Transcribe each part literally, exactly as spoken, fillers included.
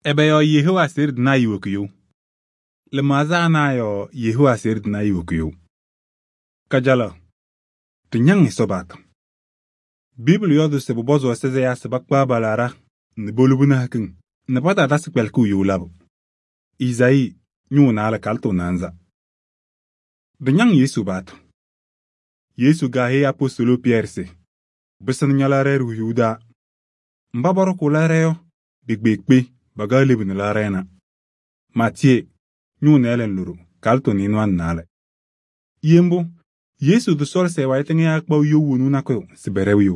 Ebe yɔɔ Yehowa aseɣɖe tɩnaa iwokiɣu. Lɩmaɣza ana yɔɔ Yehowa aseɣɖe tɩnaa iwokiɣu. Kajalaɣ, ɖɩñaŋ Ɛsɔ paɣtʋ. Bibili yɔɔdʋʋ se pʋpɔzʋʋ Ɛsɔ se ɛyaa se pakpaɣ pa-laɖa nɛ polobini hakiŋ nɛ patatasɩ kpɛlɩkɩɣ you labʋ. Izayii ñʋʋ naalɛ kalɩtʋ naanza. Ɖɩñaŋ Yesu paɣtʋ. Yesu kaaheyi apostoluu Pɩyɛɛrɩ se: “Pɩsɩnɩ ña-laɣrɛɛ ɖiɣyuu taa. Mba pɔɖɔkʋʋ laɣrɛɛ yɔ, pikpeekpe pakaɣ lebu nɛ laɣrɛɛ na.” Maatiyee ñʋʋ nɩɩlɛ nɛ loɖo kalɩtʋ nɩɩnʋwa nɛ naalɛ. Ye mbʋ, Yesu tɩsɔɔlɩ se ɛ-wayɩ tɩŋɩyaa kpaɣ you wonuu nakʋyʋ se pɛɖɛʋ you.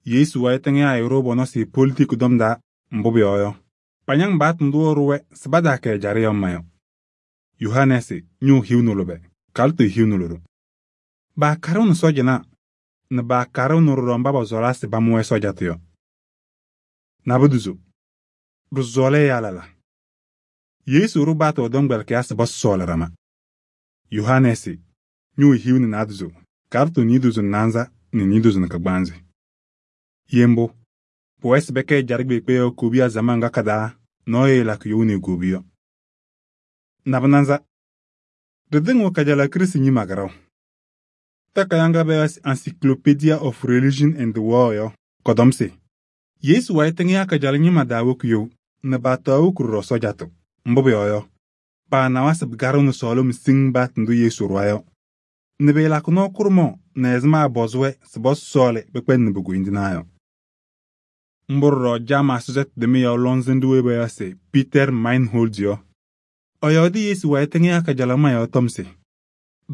Yesu wayɩ tɩŋɩyaa ɛɛɖʋʋ pɔ-nɔsɩ politik tɔm taa, mbʋ pʋyɔɔ yɔ, pañaŋ paɣtʋ ndʋ ɛɖʋ-wɛ se pataakɛ ɛjaɖɛ yɔ ma yɔ. Yohanɛɛsɩ ñʋʋ hiu nɛ lʋbɛ kalɩtʋ hiu nɛ loɖo. Paakaɖɩɣnɩ sɔɔjanaa nɛ paakaɖɩɣnɩ ɖɔɖɔ mba pɔsɔɔlaa se pamʋ-wɛ sɔɔjatʋ yɔ. Nabʋdʋzʋ, ɖɩsɔɔlɩ ɛyaa lala. Yesu ɖʋ paɣtʋ ɛ-tɔmkpɛlɩkɩyaa se pɔsɔɔlɩ ɖama. Yohanɛɛsɩ ñʋʋ hiu nɛ naadozo kalɩtʋ niidozo nɛ naanza nɛ niidozo nɛ kagbaanzɩ. Ye mbʋ, pʋwɛɛ se pɛkɛ ɛjaɖɛ kpeekpe yɔɔ kobiya zaman ŋga ka-taa nɔɔyʋ ɛɛlakɩ you nɛ egobi yɔ. Nabʋnanza, ɖɩtɩŋɩɣ kajalaɣ Kirɩstɩ ñɩma kɩɖɛɣ. Takayaɣ ŋga payaɣ se Encyclopedia of Religion and the World yɔ, kɔtɔm se: Yesu wayɩ tɩŋɩyaa kajalaɣ ñɩma daawoki-you nɛ paataɣ woki ɖɔɖɔ sɔɔjatʋ. Mbʋ pʋyɔɔ yɔ, paanawa se pɩkaɖɩɣnɩ sɔɔlɩm siŋŋ paɣtʋ ndʋ Yesu ɖʋwa yɔ nɛ pɩɩlakɩ nɔɔ kʋɖʋmaɣ nɛ ɛzɩma ɛpɔzɩ-wɛ se pɔsɔɔlɩ pɩkpɛndɩnɩ pi-koyindinaa yɔ. Mbʋ ɖɔɖɔ Jamaa sɔsɔtʋ tʋmɩyɛ lɔŋsɩnɖʋ weyi payaɣ se Peter Meinhold yɔ, ɛyɔɔdɩ Yesu wayɩ tɩŋɩyaa kajalaɣma yɔɔ tɔm se: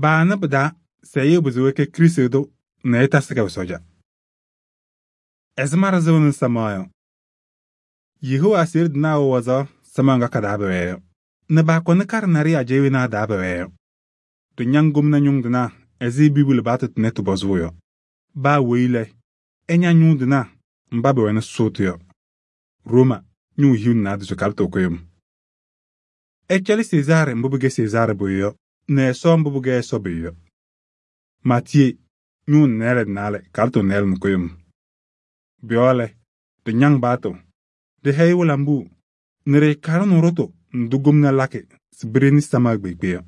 baanɩ pɩ-taa se ɛyʋ pɩzɩɣ ɛkɛ Krɩstʋ tʋ nɛ ɛtasɩ kɛ sɔɔja. Ɛzɩma ɖɩsɩbɩnɩ samaɣ yɔ, Yehowa aseɣɖe tɩnaa wɛ wazaɣ samaɣ ŋga ka-taa pɛwɛɛ yɔ nɛ paakɔnɩ kaɖɛ naɖɩyɛ ajɛɛ wenaa taa pɛwɛɛ yɔ. Ɖɩñaŋ gomna ñʋŋ tɩnaa ɛzɩ Bibili paɣtʋ tʋnɛ tɩpɔzʋʋ yɔ. Baa weyi lɛ, ɛña ñʋŋ tɩnaa mba pɛwɛnɩ sʋʋtʋ yɔ. Rooma ñʋʋ hiu nɛ naadozo kalɩtʋ kʋyʋm. Ɛcɛlɩ Sezaarɩ mbʋ pɩkɛ Sezaarɩ pʋyʋ yɔ nɛ Ɛsɔ mbʋ pɩkɛ Ɛsɔ pʋyʋ yɔ. Maatiyee ñʋʋ nɩɩlɛ nɛ naalɛ kalɩtʋ nɩɩlɛ nɛ kʋyʋm. Pʋ-yɔɔ lɛ, ɖɩñaŋ paɣtʋ, ɖɩhɛyɩ wɩlambuu nɛ ɖɩɩkaɖɩnɩ ɖʋtʋ ndʋ gomna lakɩ se pɩɖeni samaɣ kpeekpe yɔ.